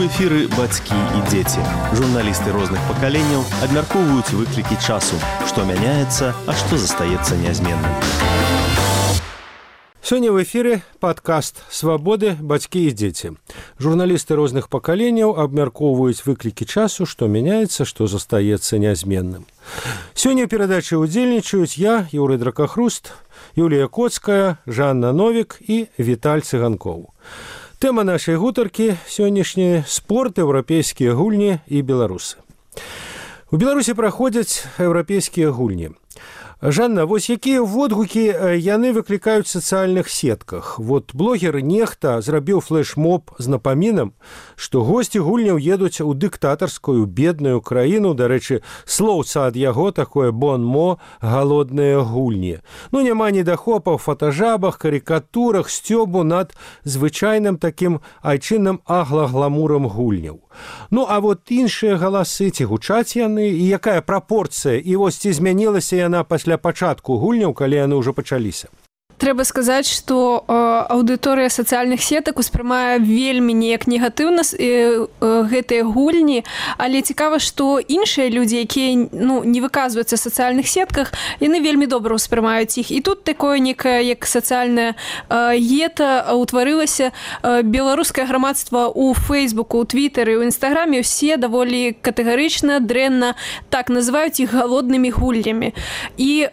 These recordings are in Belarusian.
эфіры бацькі і дзеці. Журналісты розных пакаленняў абмяркоўваюць выклікі часу, што мяняецца, а што застаецца нязменным. Сёння в эфире падкаст «Свабоды, бацькі і дзеці». Журналісты розных пакаленняў абмяркоўваюць выклікі часу, што мяняецца, што застаецца нязменным. Сёння ў перадачы ўдзельнічаюць я, Юрый Дракахруст, Юлія Коцкая, Жанна Новік і Віталь Цыганкоў. Тэма нашай гутаркі сённяшняя – спорт, еўрапейскія гульні і беларусы. У Беларусі праходзяць еўрапейскія гульні. Жанна, вось якія водгукі яны выклікаюць в сацыяльных сетках? Вот блогер нехта зрабіў флэш-моб з напамінам, што госці гульняў едуць у дыктатарскую бедную краіну, дарэчы, слоўца ад яго такое бон-мо «галодныя гульні». Ну, няма недахопаў, фотажабах, карикатурах, сцёбу над звычайным такім айчынным агла-гламурам гульняў. Ну, а вот іншыя галасы, ці гучаць яны, і якая прапорцыя, і вось ці змянілася яна пасля пачатку гульняў, калі яны ўжо пачаліся? Трэба сказаць, што аўдыторыя сацыяльных сетак успрымае вельмі неяк негатыўна гэтыя гульні, але цікава, што іншыя людзі, якія не выказваюцца в сацыяльных сетках, яны вельмі добра ўспрымаюць іх. І тут такое некае, як сацыяльнае гета ўтварылася. Беларускае грамадства ў Фейсбуку, ў Твітары, ў Інстаграме ўсе даволі катэгарычна, дрэнна так называюць іх галоднымі гульнямі. І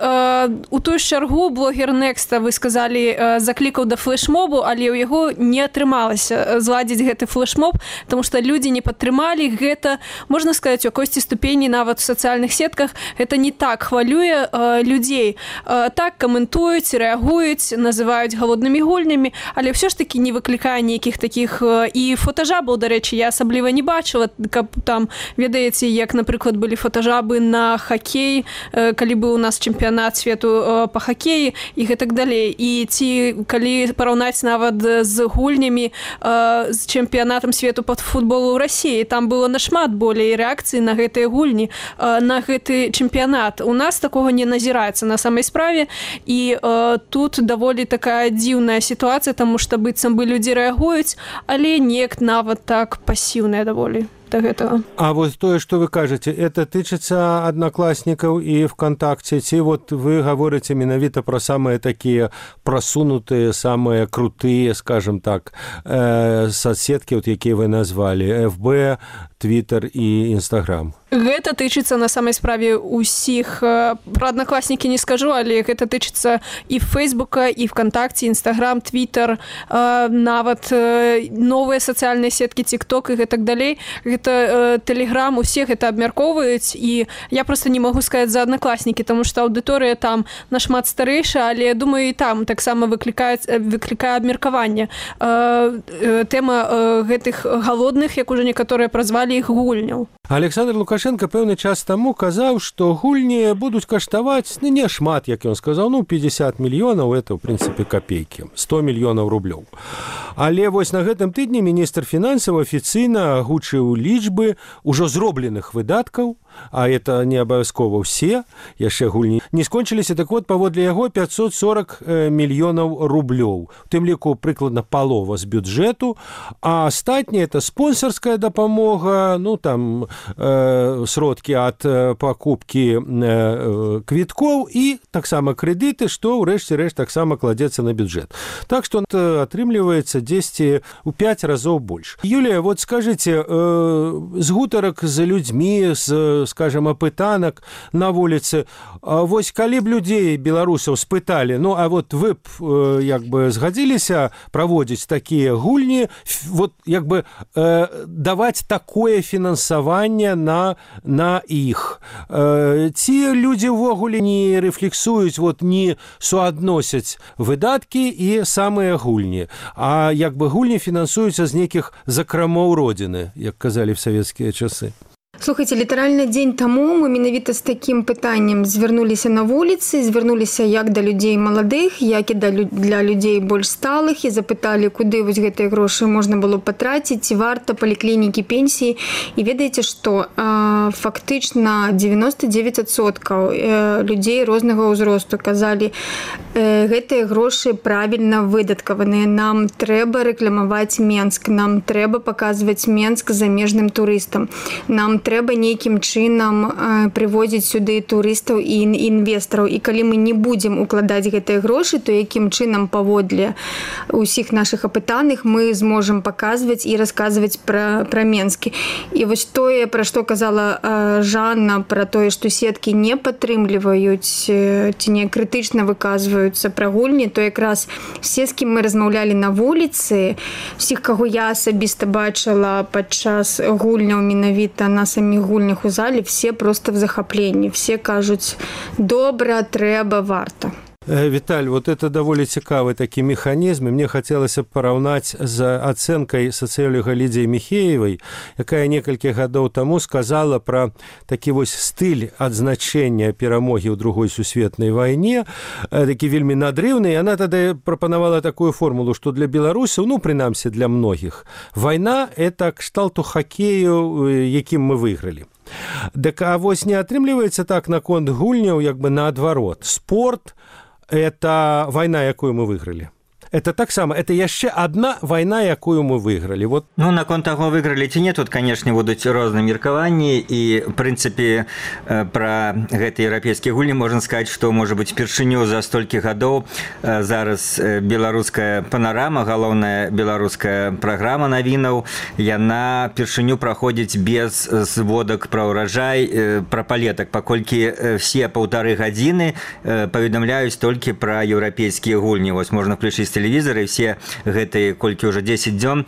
у тую ж чаргу блогер Некста, вы сказалі, заклікаў да флэшмобу, але ў яго не атрымалася зладзіць гэты флэшмоб, тому што людзі не падтрымалі гэта, можна сказаць, у якойсьці ступені нават у сацыяльных сетках гэта не так хвалюе людзей. Так каментуюць, рэагуюць, называюць галоднымі гульнямі, але ўсё ж такі не выклікае нейкіх такіх і фотажабаў, дарэчы, я асабліва не бачыла, каб там, ведаеце, як, напрыклад, былі фотажабы на хакей, калі быў у нас чэмпіянат свету па хакеі і гэтак далей. І ці калі параўнаць нават з гульнямі з чэмпіянатам свету па футболу ў Расіі, там было нашмат болей рэакцыі на гэтыя гульні, на гэты чэмпіянат. У нас такога не назіраецца на самай справе, і тут даволі такая дзіўная сітуацыя, таму што быццам бы людзі рэагуюць, але неяк нават так пасіўная даволі до гэтага. А вот тое, што вы кажаце, это тычыцца аднакласнікаў і ВКонтакце, ці вот вы гаворыце менавіта пра самыя такія прасунутыя, самыя крутыя, скажем так, соцсеткі, якія вы назвалі, ФБ, Твітер і Інстаграм? Гэта тычыцца на самай справе ўсіх. Пра аднакласнікі не скажу, але гэта тычыцца і Фейсбука, і ВКонтакце, Інстаграм, Твітер, нават новыя сацыяльныя сеткі, Тік-Ток і гэтак далей. Гэта Тэлеграм, усе гэта абмяркоўваюць, і я проста не магу сказаць за аднакласнікі, таму што аўдыторыя там нашмат старэйшая, але, думаю, і там таксама выклікае абмеркаванне. Тэма гэтых галодных, як ужо некаторыя празвалі іх гульняў. Александр Лукашенко пэўны час таму казаў, што гульні будуць каштаваць не шмат, як ён сказаў, 50 мільёнаў, это, ў прынцыпе, капейкі, 100 мільёнаў рублёў. Але вось на гэтым тыдні міністр фінансаў афіцыйна агучыў лічбы ўжо зробленых выдаткаў, а это не абавязкова ўсе, яшчэ гульні не скончыліся, так вот, паводле яго 540 мільёнаў рублёў. У тым ліку прыкладна палова з бюджэту, а астатняе это спонсарская дапамога, там сродкі ад пакупкі квіткоў і таксама крэдыты, што ў рэшце рэшт таксама кладзецца на бюджэт. Так што атрымліваецца дзесьці ў 5 разоў больш. Юлія, вот скажыце, з гутарак з людзьмі, скажем, апытанак на вуліцы, вось калі б людзей, беларусаў, спыталі, а вот вы б як бы згадзіліся праводзіць такія гульні, вот як бы даваць такое фінансаванне на іх. Ці людзі ўвогуле не рэфлексуюць, не суадносяць выдаткі і самыя гульні, а як бы гульні фінансуюцца з нейкіх закрамоў родзіны, як казалі в савецкія часы. Слухайте, літаральна дзень таму мы менавіта з такім пытаннем звярнуліся на вуліцы, звярнуліся як да людзей маладых, як і для людзей больш сталых і запыталі, куды вось гэтыя грошы можна было патраціць, ці варта паліклінікі, пенсіі. І ведаеце, што фактычна 99% людзей рознага ўзросту казалі, гэтыя грошы правільна выдаткаваныя. Нам трэба рэкламаваць Менск, нам трэба паказваць Менск замежным турыстам, нам трэба нейкім чынам прывозіць сюды турыстаў і інвестараў. І калі мы не будзем укладаць гэтыя грошы, то якім чынам паводле ўсіх нашых апытаных мы зможам паказваць і расказваць пра Менскі. І вось тое, пра што казала Жанна, пра тое, што сеткі не падтрымліваюць ці не крытычна выказваюцца пра гульні, то якраз все, з кім мы размаўлялі на вуліцы, всіх, каго я асабіста бачыла падчас гульняў менавіта на самих гульнях у зале, все просто в захапленні, все кажуць, добра, трэба, варта. Віталь, вот это даволі цікавы такі механізм, і мне хацелася б параўнаць з ацэнкай сацыёлага Лідзіі Міхеевай, якая некалькі гадоў таму сказала пра такі вось стыль адзначэння перамогі ў Другой сусветнай вайне, такі вельмі надрыўны. Яна тады прапанавала такую формулу, што для беларусаў, ну, прынамсі для многіх, вайна – это кшталту хакею, якім мы выйгралі. Дык а вось не атрымліваецца так наконт гульняў, як бы наадварот. Спорт – это война, якую мы выиграли. Это так само, это яшчэ одна вайна, якую мы выйгралі. Вот. Ну, наконт таго, выйгралі ці не, тут, канешне, будуць розныя меркаванні, і, в прынцыпе, пра гэтыя еўрапейскія гульні можна сказаць, што, можа быць, першыню за столькі гадоў зараз беларуская панарама, галоўная беларуская праграма навінаў, яна першыню праходзіць без зводак пра ўраджай, пра палетак, паколькі все 1,5 гадзіны паведамляюць толькі пра еўрапейскія гульні. Вось можна включыць телевизоры, все гэтые, колькі уже 10 дзён,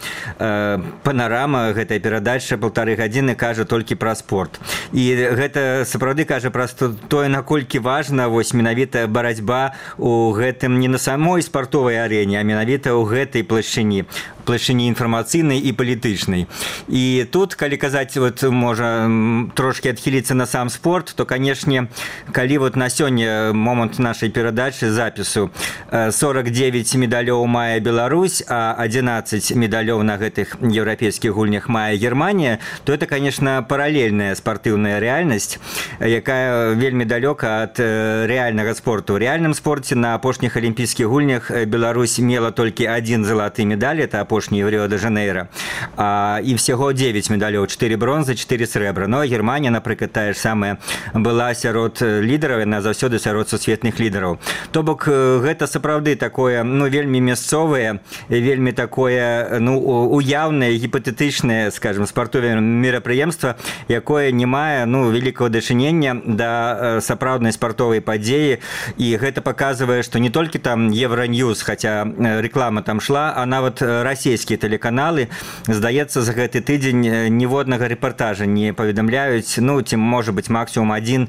панарама, гэтая перадача 1,5 гадзіны кажа толькі пра спорт. І гэта сапраўды кажа пра тое, наколькі важна вось менавіта барацьба у гэтым не на самой спартовай арэне, а менавіта ў гэтай плашчыні інфармацыйнай і палітычнай. І тут, калі казаць, вот, можа трошки адхіліцца на сам спорт, то, канешне, калі вот на сёння момант нашай перадачы, запісу, 49 медалёў мае Беларусь, а 11 медалёў на гэтых еўрапейскіх гульнях мае Германія, то это, конечно, паралельная спартыўная рэальнасць, якая вельмі далёка ад рэальнага спорту. У рэальным спорце на апошніх алімпійскіх гульнях Беларусь мела толькі 1 залаты медаль, это апошні в Ріо-де-Жанейра, і всяго 9 медалёў, 4 бронзы, 4 срэбра. Ну, а Германія, напрыклад, тая ж самая, была сярод лідараў, яна заўсёды сярод сусветных лідараў. То бок, гэта сапраўды такое, ну, вельмі мясцовае, вельмі такое, ну, уяўнае, гіпатэтычнае, скажем, спартовае мерапрыемства, якое не мае, ну, вялікага дачынення да сапраўднай спартовай падзеі, і гэта паказвае, што не толькі там Евроньюз, хаця рэклама там шла, а нават расійскія тэлеканалы, здаецца, за гэты тыдзень ніводнага рэпартажа не паведамляюць, ну, ці, можа быць, максімум 1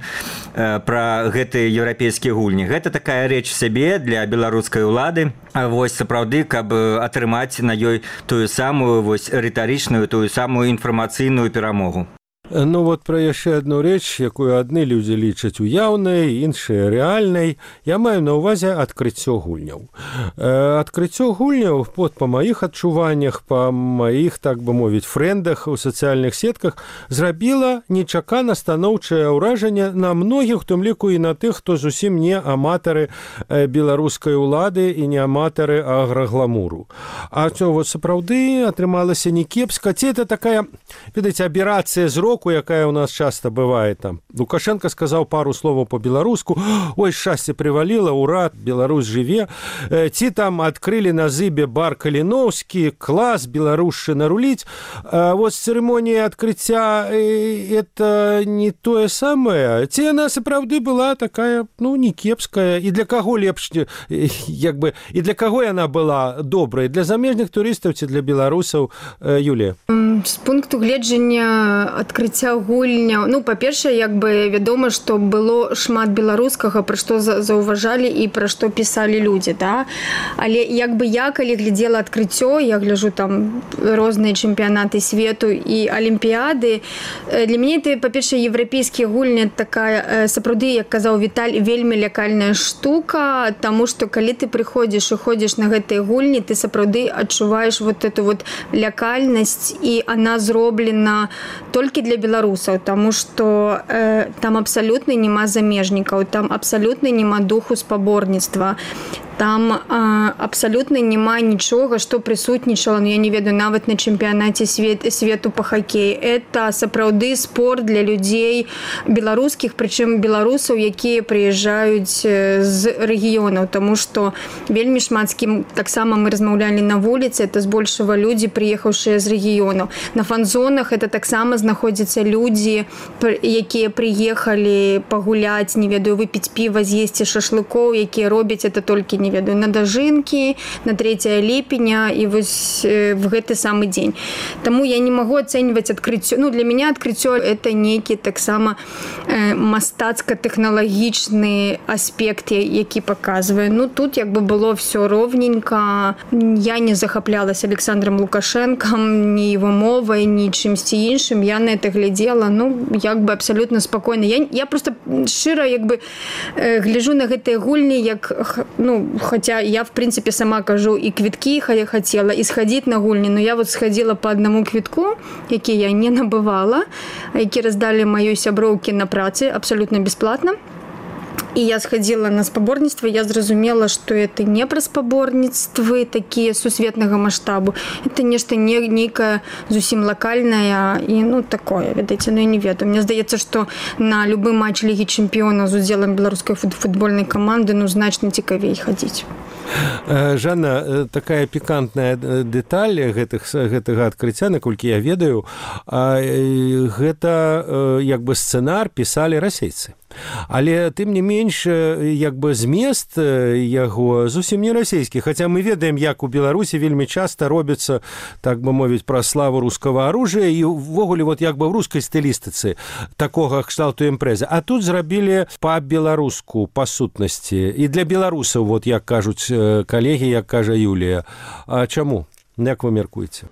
пра гэтыя еўрапейскія гульні. Гэта такая рэч сябе для беларускай улады, вось сапраўды, каб атрымаць на ёй тую самую вось рытарычную, тую самую інфармацыйную перамогу. Ну вот пра яшчэ адну рэч, якую адны людзі лічаць уяўнай, іншыя рэальнай, я маю на ўвазе адкрыццё гульняў. Адкрыццё гульняў, па маіх адчуваннях, па маіх, так бы мовіць, фрэндах у сацыяльных сетках зрабіла нечакана станоўчае ўражанне на многіх, у тым ліку і на тых, хто зусім не аматары беларускай улады і не аматары аграгламуру. А то вот сапраўды атрымалася не кепска. Ці это такая, ведаеце, аберацыя зроку, якая у нас часто бывает там. Лукашенко сказал пару словаў по-беларуску, ой, шчасце прываліла, ура, Беларусь жыве. Ці там адкрылі на Зыбе бар Каліноўскі, клас, беларушчына руліць. Вот цырымонія адкрыцця это не тое самае. Ці яна сапраўды была такая, ну, не кепская, і для каго лепш, як бы, і для каго яна была добрая, для замежных турыстаў ці для беларусаў, Юлія? З пункту гледжання адкрыцця адкрыцця гульняў. Ну, па-першае, як бы вядома, што было шмат беларускага, пра што заўважалі і пра што пісалі людзі, да? Але як бы я, калі глядзела адкрыццё, я гляджу там розныя чэмпіянаты свету і алімпіяды, для мяне это, па-першае, еўрапейскія гульні такая, сапраўды, як казаў Віталь, вельмі лякальная штука, таму што калі ты прыходзіш і ходзіш на гэтыя гульні, ты сапраўды адчуваеш вот эту вот лякальнасць, і она зроблена толькі для беларусаў, таму што там абсалютна няма замежнікаў, там абсалютна няма духу спаборніцтва. Там абсалютна няма нічога, што прысутнічала, я не ведаю, нават на чэмпіянаце свету па хакеі. Это сапраўды спорт для людзей беларускіх, прычым беларусаў, якія прыязджаюць з рэгіёнаў, таму што вельмі шмат з кім таксама мы размаўлялі на вуліцы, это збольшага людзі, прыехаўшыя з рэгіёнаў. На фан-зонах это таксама знаходзяцца людзі, якія прыехалі пагуляць, не ведаю, выпіць піва, з'есці шашлыкоў, якія робяць это толькі, не ведаю, на дажынкі, на 3 ліпеня і вось в гэты самы дзень. Таму я не магу ацэньваць адкрыццё. Ну, для мяне адкрыццё это нейкі таксама мастацка-тэхналагічны аспект, які паказвае. Ну, тут як бы было все ровненько. Я не захаплялась Александром Лукашенком, ні его мовай, ні чымсьці іншым. Я на это глядзела, ну, як бы абсалютна спакойна. Я просто шчыра як бы гляджу на гэтыя гульні, як, ну, хотя я, в принципе, сама кажу, и квитки хотела, и сходить на гульни, но я вот сходила по одному квитку, які я не набывала, які раздали моей сяброўке на працы абсолютно бесплатно. І я сходила на спаборніцтва, я зразумела, што это не пра спаборніцтвы такія сусветнага маштабу. Это нешта нейкае зусім лакальнае і, ну, такое, ведаеце, ну, я не ведаю. Мне здаецца, што на любы матч Лігі чэмпіёнаў з удзелам беларускай футбольнай каманды, ну, значна цікавей хадзіць. Жанна, такая пікантная дэталь гэтага адкрыцця, наколькі я ведаю, гэта як бы сцэнар пісалі расейцы. Але тым не менш, як бы змест яго зусім не расійскі, хаця мы ведаем, як у Беларусі вельмі часта робіцца, так бы мовіць, пра славу рускага аружия і ўвогуле вот як бы в рускай стылістыцы такога кшталту імпрэзы. А тут зрабілі па-беларуску, па сутнасці. І для беларусаў, вот як кажуць калегі, як кажа Юлія. А чаму? Як вы мяркуеце?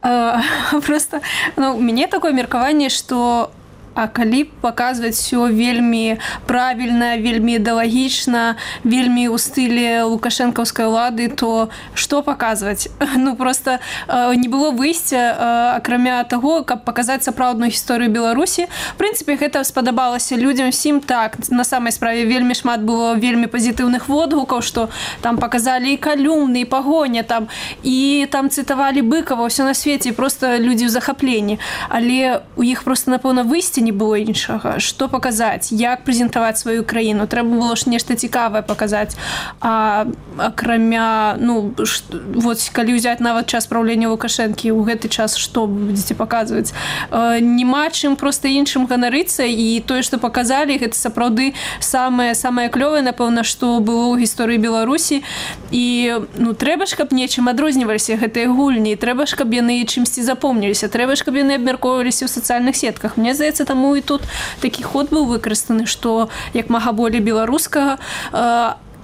Просто, ну, у мяне такое меркаванне, што а калі паказваць все вельмі правільна, вельмі ідэалагічна, вельмі ў стылі лукашэнкаўскай улады, то што паказваць? Ну, просто не было выйсця, акрамя таго, каб паказаць сапраўдную гісторыю Беларусі. В прынцыпе, гэта спадабалася людзям всім так. На самай справе вельмі шмат было вельмі пазітыўных водгукаў, што там паказалі і калюмны, і пагоня, там, і там цытавалі Быкова, ўсё на свеце, і просто людзі ў захапленні. Але у іх просто, напэўна, выйсця не было іншага. Што паказаць? Як прэзентаваць сваю краіну? Трэба было ж нешта цікавае паказаць. А акрамя, ну, вот, калі ўзяць нават час праўлення Лукашэнкі, у гэты час што будзеце паказваць? Няма чым проста іншым ганарыцца, і тое, што паказалі, гэта сапраўды самае клёвае, напэўна, што было ў гісторыі Беларусі. І, ну, трэба ж, каб нечым адрозніваліся гэтыя гульні, трэба ж, каб яны чымсьці запомніліся, трэба ж, каб яны абмяркоўваліся ў сацыяльных сетках. Мне здаецца, таму і тут такі ход быў выкарыстаны, што як мага болей беларускага.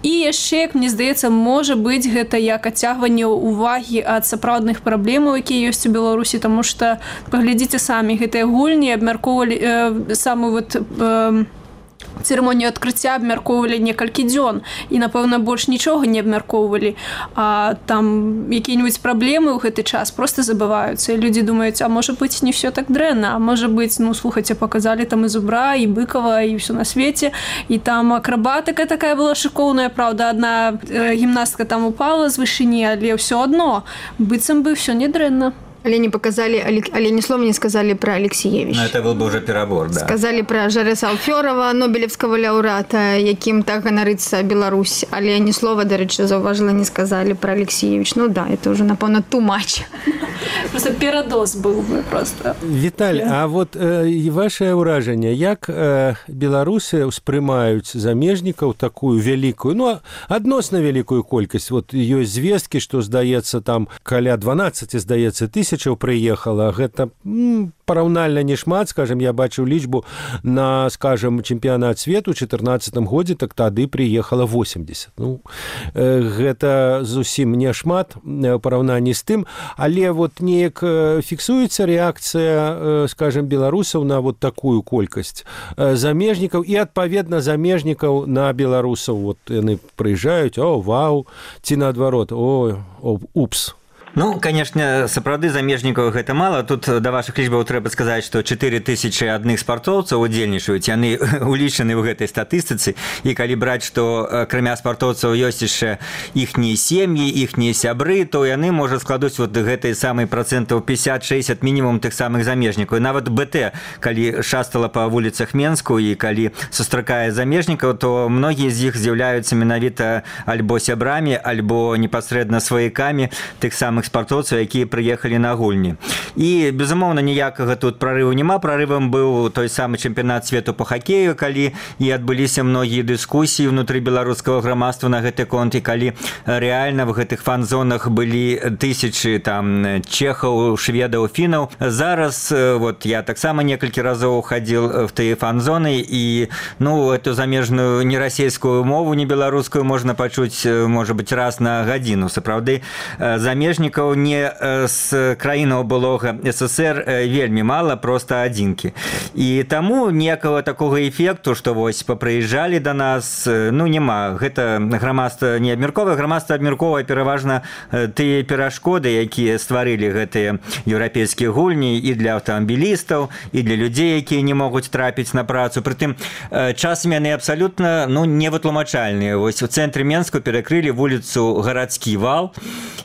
І яшчэ, як мне здаецца, можа быць гэта як адцягванне ўвагі ад сапраўдных праблемаў, якія ёсць у Беларусі, таму што, паглядзіце самі, гэтыя гульні абмяркоўвалі самую вот цырымонію адкрыцця абмяркоўвалі некалькі дзён і, напэўна, больш нічога не абмяркоўвалі. А там якія-нибудь праблемы ў гэты час просто забываюцца. І людзі думаюць, а можа быць, не все так дрэнна, а можа быць, ну, слухайце, паказалі там і Зубра, і Быкова, і ўсё на свеце. І там акрабатыка такая была шыкоўная, правда, адна гімнастка там упала з вышыні, але ўсё адно, быццам бы ўсё не дрэнна. Але не показали, але ни слова не сказали про Алексеевич. Ну, это был бы уже перебор, да. Сказали про Жареса Алферова, Нобелевского лауреата, яким так ганарыцца Беларусь. Але ни слова, до речі, зауважила, не сказали про Алексеевич. Ну да, это уже, напевно, too much. Просто перадоз был бы просто. Віталь, а вот ваше ўражанне, як беларусы ўспрымаюць замежнікаў такую вялікую, ну, адносна вялікую колькасць? Вот ёсць звесткі, што, здаецца, там каля 12, здаецца, тысяч тысячаў прыехала, гэта параўнальна не шмат, скажем, я бачыў лічбу на, скажем, чэмпіянат свету ў 2014 годзе, так тады прыехала 80. Ну, гэта зусім не шмат у параўнанні з тым, але вот неяк фіксуецца рэакцыя, скажем, беларусаў на вот такую колькасць замежнікаў і, адпаведна, замежнікаў на беларусаў. Вот яны прыязджаюць, о, вау, ці наадварот, о, упс. Ну, конечно, сапраўды замежнікаў гэта мала. Тут да вашых лічбаў трэба сказаць, што 4000 адных спартоўцаў удзельнічаюць, яны улічаны ў гэтай статыстыцы. І калі браць, што акрамя спартоўцаў ёсць яшчэ іхнія сем'і, іхнія сябры, то яны, можа, складуць вот гэтай самай працэнтаў 50-60 мінімум тых самых замежнікаў. І нават БТ, калі шастала па вуліцах Менску і калі сустракае замежнікаў, то многія з іх з'яўляюцца менавіта альбо сябрамі, альбо непасрэдна сваякамі тых самых спартоўцаў, якія прыехалі на гульні. І, безумоўна, ніякага тут прарыву няма. Прарывам быў той самы чэмпіянат свету по хакею, калі і адбыліся многія дыскусіі ўнутры беларускага грамадства на гэты конт, і калі рэальна в гэтых фан-зонах былі тысячы там чэхаў, шведаў, фінаў. Зараз, вот, я таксама некалькі разоў хадзіл в тыя фан-зоны, і, ну, эту замежную не расійскую мову, не беларускую можна пачуць, можа быць, раз на гадзіну. Сапраўды, замежнікаў не з краінаў былога СССР вельмі мала, проста адзінкі. І таму ніякага такога эфекту, што вось папрыязджалі да нас, ну, няма. Гэта грамадства не абмярковае, грамадства абмярковае пераважна тыя перашкоды, якія стварылі гэтыя еўрапейскія гульні і для аўтамабілістаў, і для людзей, якія не могуць трапіць на працу. Прытым, часам яны абсалютна, ну, невытлумачальныя. Вось у цэнтры Менску перакрылі вуліцу Гарадскі вал,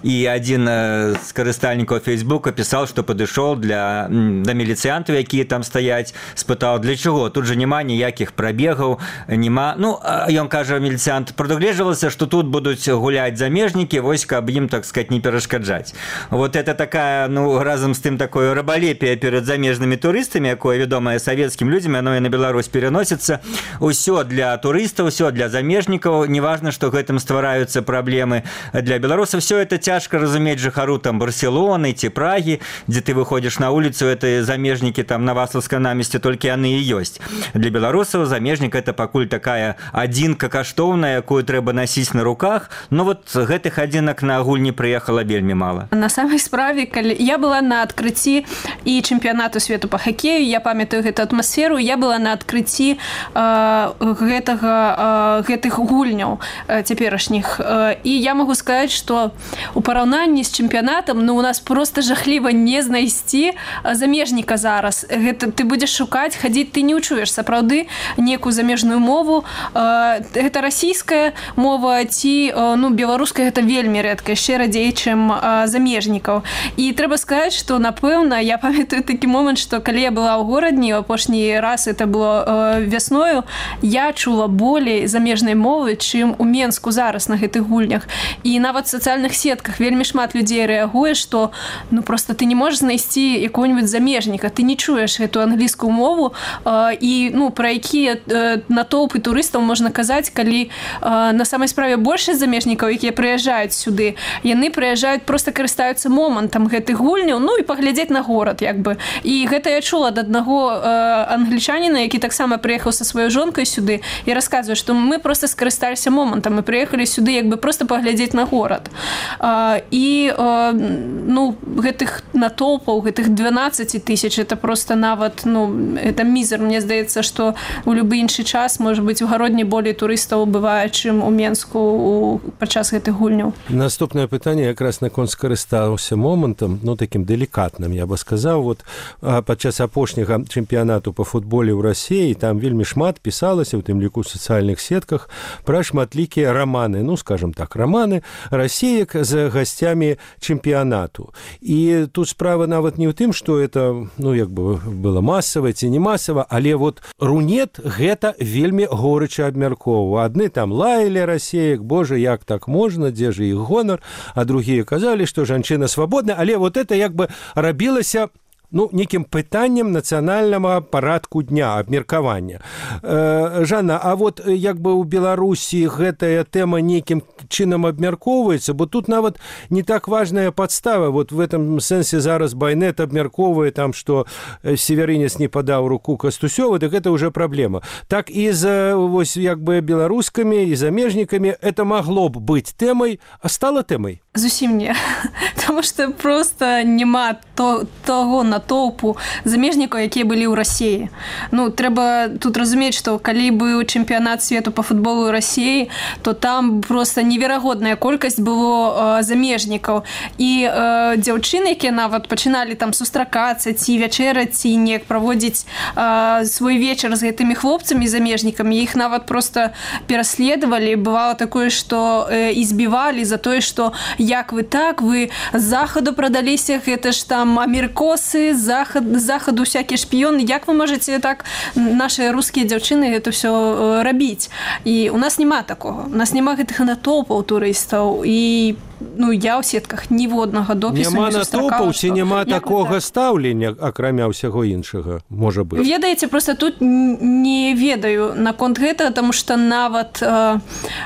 і адзін з карыстальнікаў Фейсбука пісаў, што падышоў да міліцыянтаў, якія там стаяць, спытаў, для чаго? Тут жа няма ніякіх прабегаў, няма... Ну, ён кажа, міліцыянт, прадугледжвалася, што тут будуць гуляць замежнікі, вось, каб ім, так сказать, не перашкаджаць. Вот это такая, ну, разам з тым такое рабалепие перад замежнымі турыстамі, якое вядомае савецкім людзям, яно і на Беларусь пераносіцца. Усё для турыстаў, усё для замежнікаў, неважна, што гэтым ствараюцца праблемы для беларусаў. Всё это цяжка разумець жыхару там Барселоны ці Прагі, дзе ты выходзіш на вуліцу, это замежнікі там на Вацлаўскай намесці, толькі яны і ёсць. Для беларусаў замежнік это пакуль такая адзінка каштоўная, якую трэба насіць на руках. Но вот гэтых адзінак на гульні прыехала вельмі мала. На самай справе, калі я была на адкрыцці і чэмпіянату свету по хакею, я памятаю гэту атмасферу, я была на адкрыцці гэтых гульняў цяперашніх. І я магу сказаць, што у параўнанні з чэмпіянатам, ну, у нас просто жахліва не знайсці замежніка зараз. Гэта ты будзеш шукаць, хадзіць, ты не ўчуеш сапраўды некую замежную мову. Гэта расійская мова ці, ну, беларуская, гэта вельмі рэдка, яшчэ радзей, чым замежнікаў. І трэба сказаць, што, напэўна, я памятаю такі момант, што калі я была ў горадні, апошні раз это было вясною, я чула болей замежнай мовы, чым у Менску зараз на гэтых гульнях. І нават в сацыяльных сетках вельмі шмат людзей рэагуе, што, ну, просто ты не можаш знайсці якого-нибудь замежніка, ты не чуеш гэту англійскую мову, і, ну, пра якія натоўпы турыстаў можна казаць, калі на самай справе большасць замежнікаў, якія прыязджаюць сюды, яны прыязджаюць, просто карыстаюцца момантам гэтых гульняў, ну, і паглядзець на горад, як бы. І гэта я чула ад аднаго англічаніна, які таксама прыехаў са сваёй жонкай сюды, і расказвае, што мы просто скарысталіся момантам, мы прыехалі сюды, як бы, просто паглядзець на горад. І, ну, гэтых натоўпаў, гэтых 12 тысяч, это просто нават, ну, это мізер. Мне здаецца, што у любы іншы час, можа быць, у гародні болей турыстаў бывае, чым у Менску падчас гэтых гульняў. Наступнае пытанне якраз наконт скарыстаўся момантам, ну, такім делікатным, я бы сказаў. Вот падчас апошняга чэмпіянату по футболе ў Расіі, там вельмі шмат пісалася, у тым ліку ў сацыяльных сетках, пра шматлікія раманы, ну, скажем так, раманы расіек з гасцямі чэмпіянату. І тут справа нават не ў тым, што это, ну, як бы было масава ці не масава, але вот Рунет гэта вельмі горыча абмяркоўваў. Адны там лаялі расеек, божа, як так можна, дзе ж іх гонар, а другія казалі, што жанчына свабодная, але вот это як бы рабілася некім пытаннем нацыянальнага парадку дня, абмеркавання. Жанна, а вот як бы ў Беларусі гэтая тэма нейкім чынам абмяркоўваецца, бо тут нават не так важная падстава. Вот в этом сэнсе зараз Байнет абмяркоўвае там, што Северынец не падаў руку Кастусёва, так это уже праблема. Так і з вось як бы беларускамі і замежнікамі это магло б быць тэмай, а стала тэмай? Зусім не. Таму што проста няма таго натоўпу замежнікаў, якія былі ў Расіі. Трэба тут разумець, што калі быў чэмпіянат свету па футболу ў Расіі, то там проста неверагодная колькасць было замежнікаў. І дзяўчыны, якія нават пачыналі там сустракацца, ці вячэраць, ці неяк праводзіць свой вечар з гэтымі хлопцамі замежнікамі, іх нават проста пераследавалі. Бывало такое, што і збівалі за тое, што як вы так, вы з захаду прадаліся, гэта ж там амерыкосы, з захаду всякія шпіёны, як вы можаце так, нашыя рускія дзяўчыны гэта ўсё рабіць. І у нас няма такога. У нас няма гэтых натоўпаў турыстаў. І я ў сетках ніводнага допісу няма не сустракала. Няма натоўпаў, ці няма такога стаўлення, акрамя ўсяго іншага, можа быць? Ведаеце, проста тут не ведаю наконт гэтага, таму што нават,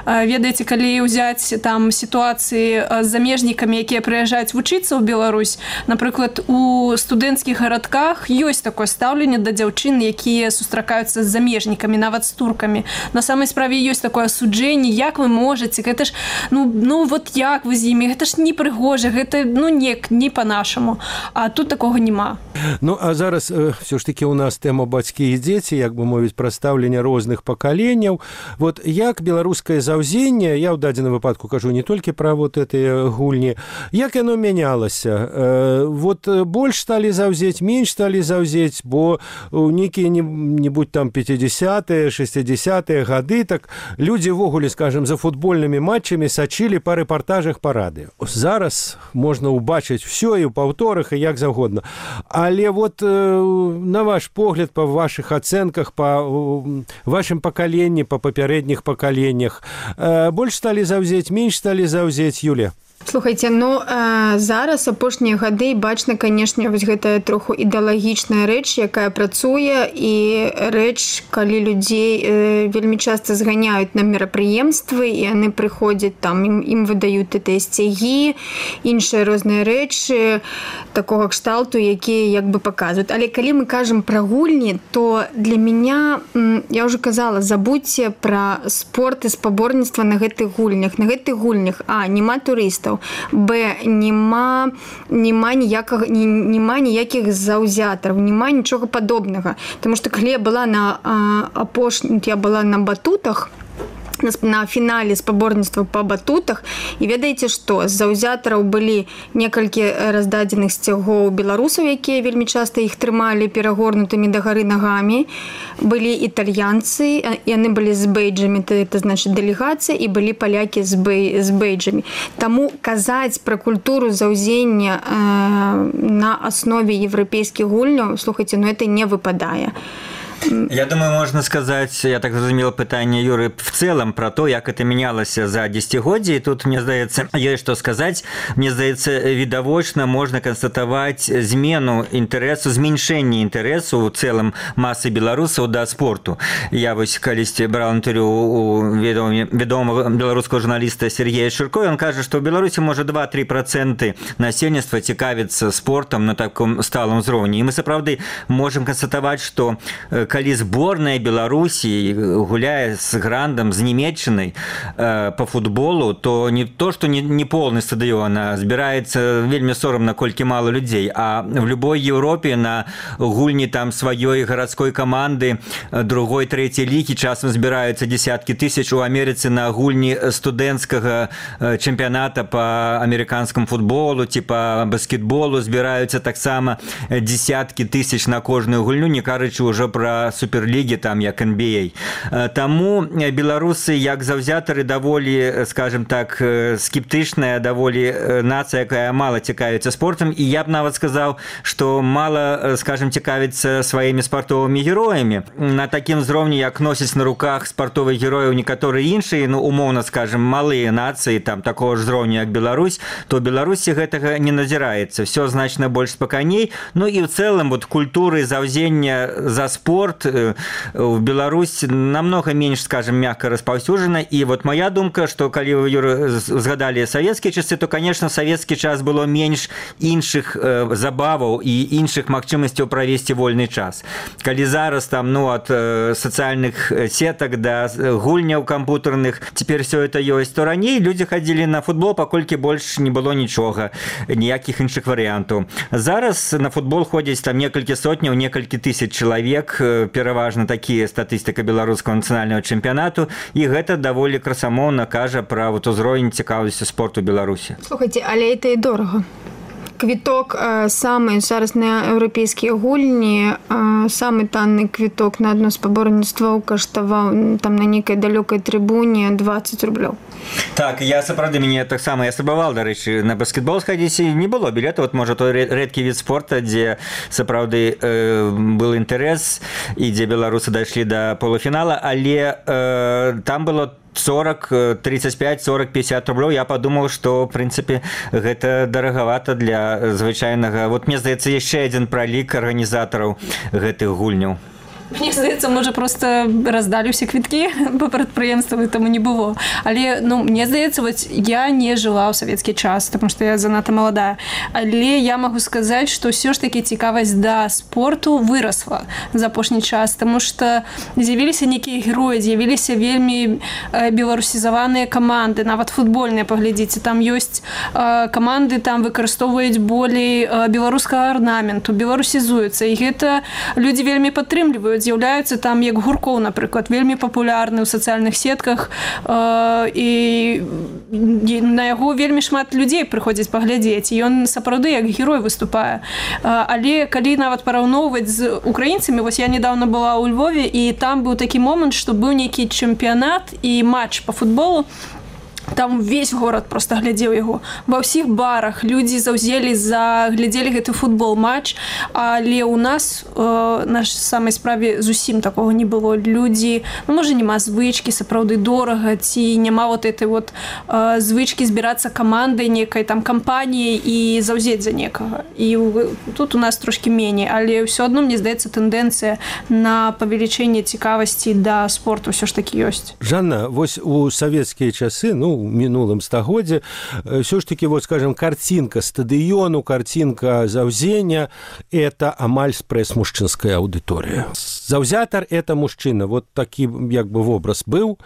ведаеце, калі ўзяць там сітуацыі з замежнікамі, якія прыязджаюць вучыцца ў Беларусь, напрыклад, у студэнцкіх гарадках ёсць такое стаўленне да дзяўчын, якія сустракаюцца з замежнікамі, нават з туркамі. На самай справе ёсць такое асуджэнне, як вы можаце, гэта ж, вот як вы з імі, гэта ж не прыгожа, гэта, не па-нашаму. А тут такога няма. А зараз все ж таки у нас тэма бацькі і дзеці, як бы мовіць, прадстаўленне розных пакаленняў. Вот як беларускае заўзенне, я ў дадзеным выпадку кажу не толькі пра вот гэтыя гульні, як яно мянялася? Вот больш сталі заўзець, менш сталі заўзець, бо нейкія не-небудзь там 50-е, 60-е гады, так людзі ввогуле, скажем, за футбольнымі матчамі сачылі па рэпартажах па радыё. Зараз можна ўбачыць всё і ў паўторах, і як заўгодна. Але вот на ваш погляд, па вашых ацэнках, па вашым пакаленні, па папярэдніх пакаленнях, больш сталі заўзець, менш сталі заўзець, Юлія? Слухайце, зараз апошнія гады бачна, канешне, вось гэтая троху ідэалагічная рэч, якая працуе, і рэч, калі людзей вельмі часта зганяюць на мерапрыемствы, і яны прыходзяць там, ім выдаюць гэтыя сцягі, іншыя розныя рэчы такога кшталту, якія як бы паказваюць. Але калі мы кажам пра гульні, то для мяне, я ўжо казала, забудьце пра спорт і спаборніцтва на гэтых гульнях. На гэтых гульнях, няма турыстаў, б, няма ніякіх заўзятараў, няма нічога падобнага. Таму што калі я была на батутах, на фінале спаборніцтва па батутах, і ведаеце што, з заўзятараў былі некалькі раздадзеных сцягоў беларусаў, якія вельмі часта іх трымалі перагорнутымі дагары нагамі, былі італьянцы, яны былі з бейджамі, это значыць дэлегацыя, і былі палякі з бейджамі. Таму казаць пра культуру заўзення на аснове еўрапейскіх гульняў, слухайце, это не выпадае. Я думаю, можно сказать, я так разумел пытание Юры в целом про то, как это менялось за десятигодие. И тут, мне здаецца, есть что сказать. Мне здаецца, відавочна можно констатовать змену интересу, зменшение интересу в целом массы белорусов до спорту. Я вось калісьці брал интервью у ведомого белорусского журналиста Сергея Ширко, и он кажет, что в Беларуси может 2-3% насельніцтва цікавіцца спортом на таком сталом узроўні. И мы, сапраўды, можем констатовать, что калі зборная Беларусі гуляе з грандам, з Нямецчынай по футболу, то не то, что не полный стадыён, а збіраецца вельмі сорамна, колькі мало людзей. А в любой Европе на гульні там сваёй гарадской каманды другой, трэцяй лігі часам збіраюцца десяткі тысяч. У Амерыцы на гульні студэнцкага чэмпіяната по амерыканскому футболу ці по баскетболу збіраюцца таксама десяткі тысяч на кожную гульню, не кажучы ўжо пра па суперлігі там як NBA. Таму беларусы як заўзятары даволі, скажем так, скептычная даволі нацыя, якая мала цікавіцца спортам, і я б нават сказаў, што мала, скажем, цікавіцца сваімі спартовымі героямі. На такім узроўні, як носяць на руках спартовых герояў некаторыя іншыя, ну, умоўна скажем, малыя нацыі там такого ж узроўню, як Беларусь, то ў Беларусі гэтага не назіраецца. Все значна больш спакайней. Ну і ў цэлым вот культуры заўзення за спорт в Беларусь намного менш, скажем, мягко распаўсюджана. І вот моя думка, што калі вы, Юра, згадалі савецкія часы, то, конечно, савецкі час было менш іншых забаваў і іншых магчымасцяў правесці вольны час. Калі зараз там, ну, ад сацыяльных сетак да гульняў кампутарных цяпер все это ёсць, то раней людзі хадзілі на футбол, паколькі больш не было нічога, ніякіх іншых варыянтаў. Зараз на футбол ходзяць там некалькі сотняў, некалькі тысяч чалавек, пераважна такія статыстыка беларускага нацыянальнага чэмпіянату, і гэта даволі красамоўна кажа пра вот узровень цікавасці спорту Беларусі. Слухайте, але это і дорага. Квіток самы зараз на еўрапейскія гульні, самы танны квіток на адно спаборніцтва каштаваў там на нейкай далёкай трыбуне 20 рублёў. Так, я сапраўды, мяне таксама, я спрабаваў, дарэчы, на баскетбол схадзіць, і не было білета, вот можа той рэдкі від спорта, дзе сапраўды был інтарэс і дзе беларусы дайшлі да полуфінала, але там было 40, 35, 40, 50 рублёў. Я подумал, что, в принципе, гэта дарагавата для звычайнага. Вот мне здаецца, яшчэ адзін пралік арганізатараў гэтых гульняў. Мне здаецца, можа, просто раздалі ўсе квіткі па прадпрыемству, таму не было. Але, ну, мне здаецца, вот я не жыла ў савецкі час, потому что я занадта маладая. Але я магу сказаць, што ўсё ж такі цікавасць да спорту вырасла за апошні час, таму што з'явіліся нейкія героі, з'явіліся вельмі беларусізаваныя каманды, нават футбольныя, паглядзіце, там ёсць каманды, там выкарыстоўваюць болей беларускага арнаменту, беларусізуюцца, і гэта людзі вельмі падтрымліваюць. З'яўляюцца там, як Гуркоў, напрыклад, вельмі папулярны ў сацыяльных сетках, і на яго вельмі шмат людзей прыходзяць паглядзець, і ён сапраўды як герой выступае. Але калі нават параўноўваць з украінцамі, вось я недавно была ў Львове, і там быў такі момант, што быў нейкі чэмпіянат і матч па футболу, там весь город просто глядзеў яго. Ва ўсіх барах людзі глядзелі гэты футбол-матч, але ў нас на самай справе зусім такога не было. Людзі, ну, можа, няма звычкі, сапраўды дорага, ці няма вот этой вот звычкі збірацца камандай нейкай там кампаніяй і заўзець за некага. І тут у нас трошки меней, але ўсё адно, мне здаецца, тэндэнцыя на павелічэнне цікавасці да спорту ўсё ж такі ёсць. Жанна, вось у савецкія часы, ну, в мінулым стагоддзе, все ж таки, вот, скажем, картинка стадиону, картинка заўзення – это амаль спрэс-мужчынская аудыторыя. Заўзятар – это мужчына, вот такі, як бы, вобраз быў.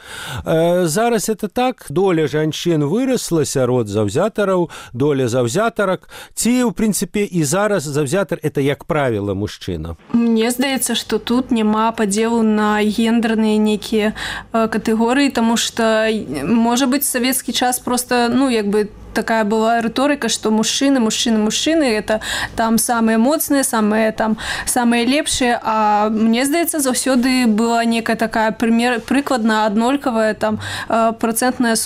Зараз это так, доля жанчын вырасла сярод заўзятараў, доля заўзятарак, ці, в принципе, і зараз заўзятар – это, як правіла, мужчына. Мне здаецца, што тут няма падзелу на гендерныя нейкія катэгорыі, таму што, можа быць, советский час просто, ну, як бы такая была рыторыка, што мужчыны, это там самыя моцныя, самыя лепшыя, а мне здаецца, заўсёды была некая такая прыкладна аднолькавая там процентнае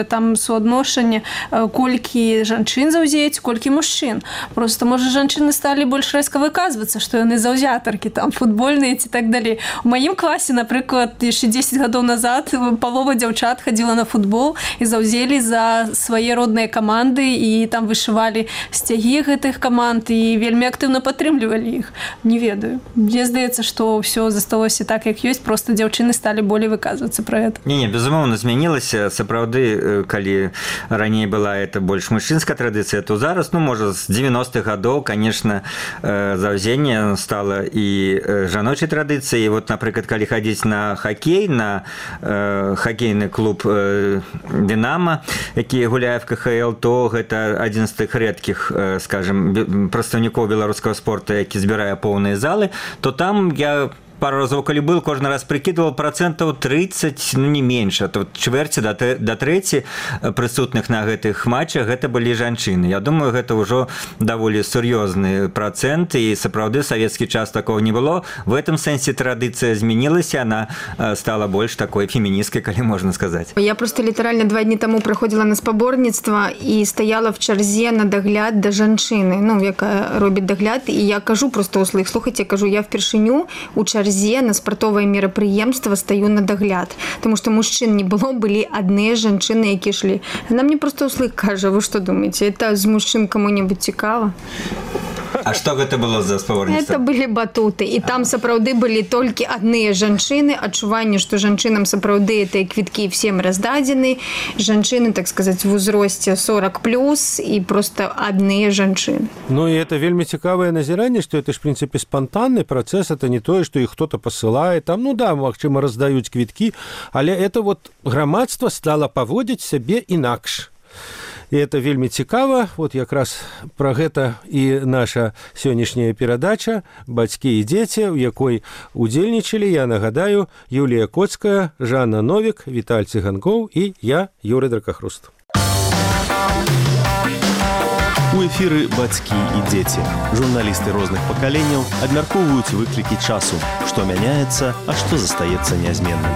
там суадношанне, колькі жанчын заўзеюць, колькі мужчын. Просто, можа, жанчыны сталі больш рэзка выказвацца, што яны заўзятаркі, там футбольныя ці так далей. У маім класе, напрыклад, яшчэ 10 гадоў назад палова дзяўчат хадзіла на футбол і заўзелі за свае родныя каманды, і там вышывалі сцягі гэтых каманд і вельмі актыўна падтрымлівалі іх. Не ведаю. Мне здаецца, што ўсё засталося так, як ёсць, просто дзяўчыны сталі болей выказвацца пра гэта. Не, безумоўна, змянілася. Сапраўды, калі раней была это больш мужчынская традыцыя, то зараз, ну, можа, з 90-х гадоў, конечно, заўзенне стала і жаночай традыцыяй. Вот, напрыклад, калі хадзіць на хакей, на хакейны клуб «Динамо», які гуляе в КХЛ, то гэта адзін з тых рэдкіх, скажем, прадстаўнікоў беларускага спорта, які збірае поўныя залы, то там я пару разоў калі был, кожны раз прыкідваў 30%, ну не менш, а тут чвэрці да трэці прысутных на гэтых матчах гэта былі жанчыны. Я думаю, гэта ўжо даволі сур'ёзны працэнт, і сапраўды савецкі час такого не было. В этом сэнсе традыцыя змянілася, она стала больш такой феміністкай, калі можна сказаць. Я просто літаральна 2 дні таму праходзіла на спаборніцтва і стаяла в чарзе на дагляд да жанчыны, ну, якая робіць дагляд, і я кажу просто услых, слухайце, кажу, я впершыню у чарзе на спартовае мерапрыемства стаю на дагляд, тому што мужчын не было, былі адныя жанчыны, якія ішлі. Она мне просто услых кажа, вы што думаеце, это з мужчын каму-небудзь цікава? А што гэта было за спаборніцтва? Это былі батуты, і там сапраўды былі толькі адныя жанчыны, адчуванне, што жанчынам сапраўды гэтыя квіткі всем раздадзены, жанчыны, так сказаць, в узросце 40+, і просто адныя жанчыны. Ну, и это вельмі цікавае назіранне, што это ж, в принципе, спонтанны працэс, это не тое, што іх хто-то пасылае, там, ну да, магчыма, раздаюць квіткі, але это вот грамадства стала паводзіць сябе інакш. І это вельмі цікава, вот якраз пра гэта і наша сённяшняя перадача «Бацькі і дзеці», у якой удзельнічалі, я нагадаю, Юлія Коцкая, Жанна Новік, Віталь Цыганкоў і я, Юрый Дракахруст. У эфіры «Бацькі і дзеці». Журналісты розных пакаленняў абмяркоўваюць выклікі часу, што мяняецца, а што застаецца нязменным.